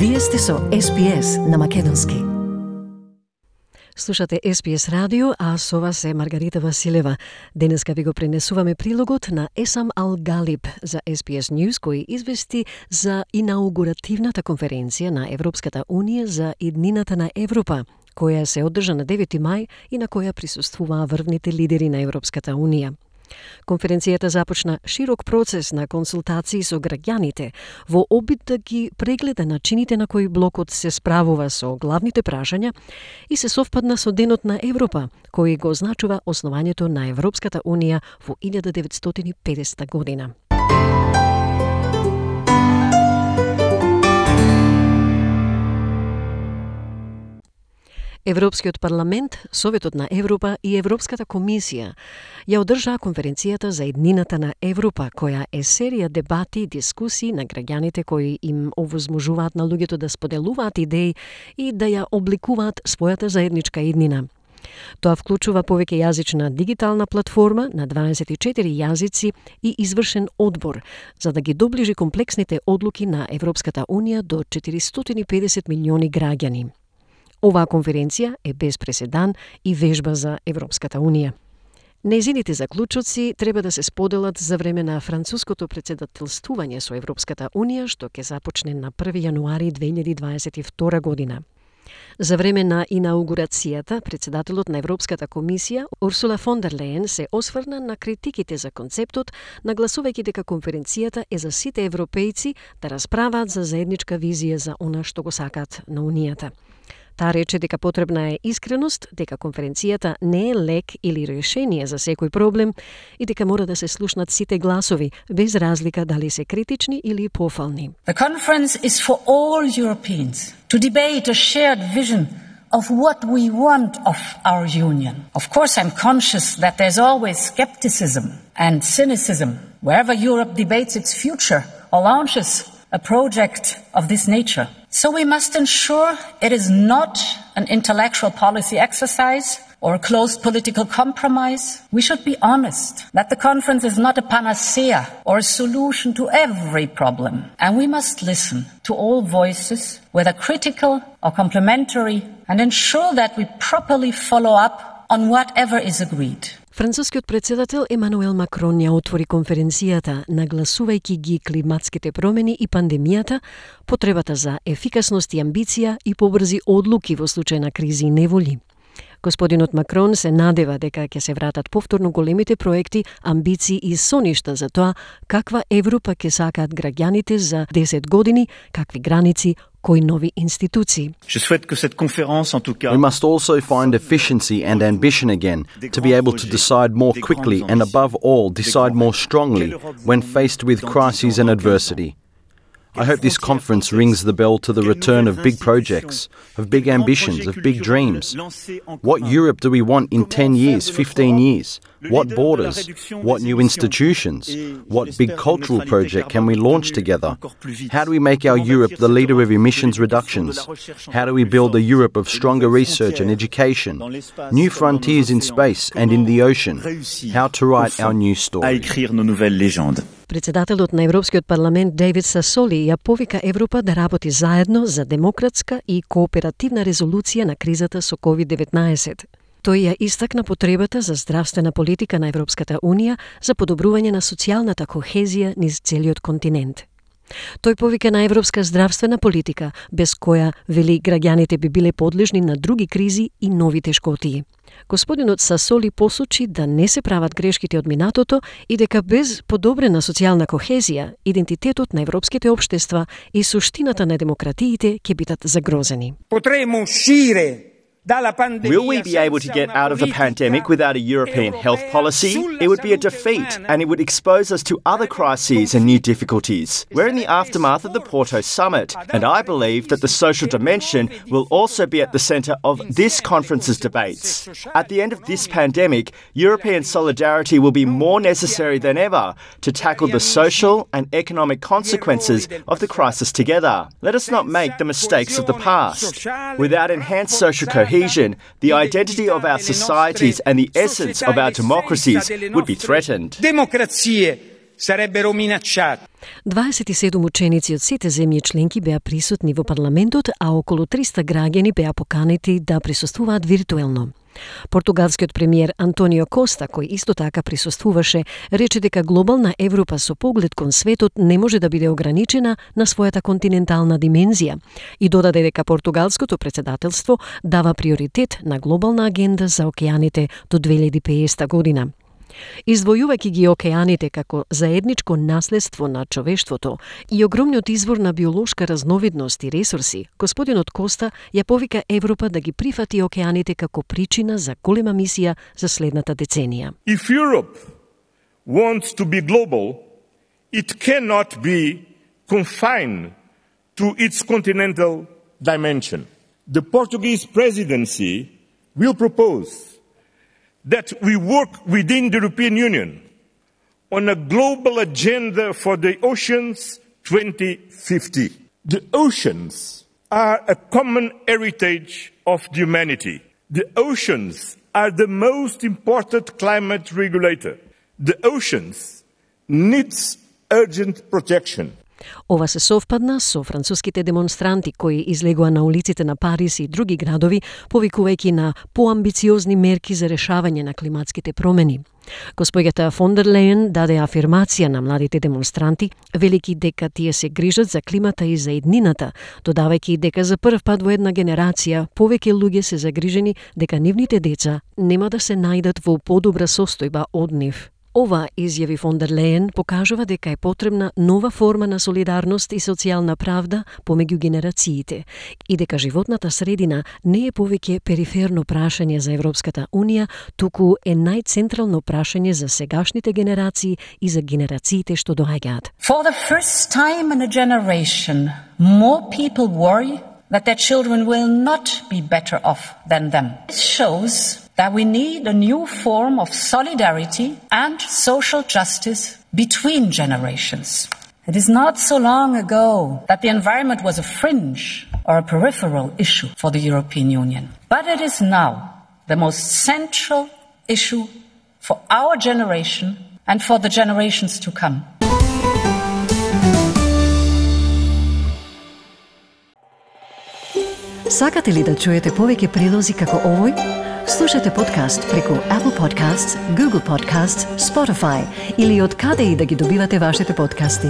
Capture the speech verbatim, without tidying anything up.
Вие сте со Ес Би Ес на македонски. Слушате Ес Би Ес радио, а со вас е Маргарита Василева. Денеска ви го пренесуваме прилогот на Есам Ал Галиб за Ес Би Ес News, кој извести за инаугуративната конференција на Европската Унија за иднината на Европа, која се одржа на девети мај и на која присуствуваа врвните лидери на Европската Унија. Конференцијата започна широк процес на консултации со граѓаните во обид да ги прегледа начините на кои блокот се справува со главните прашања и се совпадна со Денот на Европа, кој го означува основањето на Европската Унија во илјада деветстотини и педесета година. Европскиот парламент, Советот на Европа и Европската комисија ја одржаа конференцијата за иднината на Европа, која е серија дебати и дискусии на граѓаните кои им овозможуваат на луѓето да споделуваат идеи и да ја обликуваат својата заедничка иднина. Тоа вклучува повеќе јазична дигитална платформа на дваесет и четири јазици и извршен одбор, за да ги доближи комплексните одлуки на Европската Унија до четиристотини и педесет милиони граѓани. Оваа конференција е без преседан и вежба за Европската Унија. Нејзините заклучоци треба да се споделат за време на француското председателствување со Европската Унија, што ќе започне на први јануари две илјади дваесет и втора година. За време на инаугурацијата, председателот на Европската комисија, Урсула фон дер Лејен, се осврна на критиките за концептот, нагласувајќи дека конференцијата е за сите европејци да расправаат за заедничка визија за она што го сакаат на Унијата. Таа рече дека потребна е искреност, дека конференцијата не е лек или решение за секој проблем и дека мора да се слушнат сите гласови, без разлика дали се критични или пофални. The conference is for all Europeans to debate a shared vision of what we want of our union. Of course, I'm conscious that there's always skepticism and cynicism wherever Europe debates its future or launches a project of this nature. So we must ensure it is not an intellectual policy exercise or a closed political compromise. We should be honest that the conference is not a panacea or a solution to every problem. And we must listen to all voices, whether critical or complementary, and ensure that we properly follow up on whatever is agreed. Францускиот председател Емануел Макрон ја отвори конференцијата, нагласувајќи ги климатските промени и пандемијата, потребата за ефикасност и амбиција и побрзи одлуки во случај на кризи и неволи. Господинот Макрон се надева дека ќе се вратат повторно големите проекти, амбиции и соништа за тоа каква Европа ќе сакаат граѓаните за десет години, какви граници, кои нови институции. We must also find efficiency and ambition again to be able to decide more quickly and above all decide more strongly when faced with crises and adversity. I hope this conference rings the bell to the return of big projects, of big ambitions, of big dreams. What Europe do we want in ten years, fifteen years? What borders? What new institutions? What big cultural project can we launch together? How do we make our Europe the leader of emissions reductions? How do we build a Europe of stronger research and education? New frontiers in space and in the ocean? How to write our new story? Председателот на Европскиот парламент Дейвид Сасоли ја повика Европа да работи заедно за демократска и кооперативна резолуција на кризата со ковид деветнаесет. Тој ја истакна потребата за здравствена политика на Европската Унија за подобрување на социјалната кохезија низ целиот континент. Тој повика на европска здравствена политика, без која, вели, граѓаните би биле подлежни на други кризи и нови тешкотии. Господинот Сасоли посочи да не се прават грешките од минатото и дека без подобрена социјална кохезија, идентитетот на европските општества и суштината на демократиите ќе бидат загрозени. Potremo uscire Will we be able to get out of the pandemic without a European health policy? It would be a defeat, and it would expose us to other crises and new difficulties. We're in the aftermath of the Porto Summit, and I believe that the social dimension will also be at the centre of this conference's debates. At the end of this pandemic, European solidarity will be more necessary than ever to tackle the social and economic consequences of the crisis together. Let us not make the mistakes of the past. Without enhanced social cohesion, the identity of our societies and the essence of our democracies would be threatened. Democrazie sarebbero minacciati. дваесет и седум ученици од сите земји членки беа присутни во парламентот, а околу триста граѓани беа поканети да присуствуваат виртуелно. Португалскиот премиер Антонио Коста, кој исто така присуствуваше, рече дека глобална Европа со поглед кон светот не може да биде ограничена на својата континентална димензија и додаде дека португалското претседателство дава приоритет на глобална агенда за океаните до две илјади и педесета година. Издвојувајќи ги океаните како заедничко наследство на човештвото и огромниот извор на биолошка разновидност и ресурси, господинот Коста ја повика Европа да ги прифати океаните како причина за голема мисија за следната деценија. If Europe wants to be global, it cannot be confined to its continental dimension. The Portuguese presidency will propose that we work within the European Union on a global agenda for the oceans twenty fifty. The oceans are a common heritage of humanity. The oceans are the most important climate regulator. The oceans needs urgent protection. Ова се совпадна со француските демонстранти кои излегоа на улиците на Париз и други градови, повикувајќи на поамбициозни мерки за решавање на климатските промени. Госпоѓата фон дер Лејен даде афирмација на младите демонстранти, велики дека тие се грижат за климата и за еднината, додавајќи дека за прв пат во една генерација повеќе луѓе се загрижени дека нивните деца нема да се најдат во подобра состојба од нив. Ова, изјави фон дер Лејен, покажува дека е потребна нова форма на солидарност и социјална правда помеѓу генерациите и дека животната средина не е повеќе периферно прашање за Европската Унија, туку е најцентрално прашање за сегашните генерации и за генерациите што доаѓаат. For the first time in a generation, more people worry that their children will not be better off than them. It shows that we need a new form of solidarity and social justice between generations. It is not so long ago that the environment was a fringe or a peripheral issue for the European Union. But it is now the most central issue for our generation and for the generations to come. Сакате ли да чуете повеќе прилози како овој? Слушате подкаст преку Apple Podcasts, Google Podcasts, Spotify или од каде и да ги добивате вашите подкасти.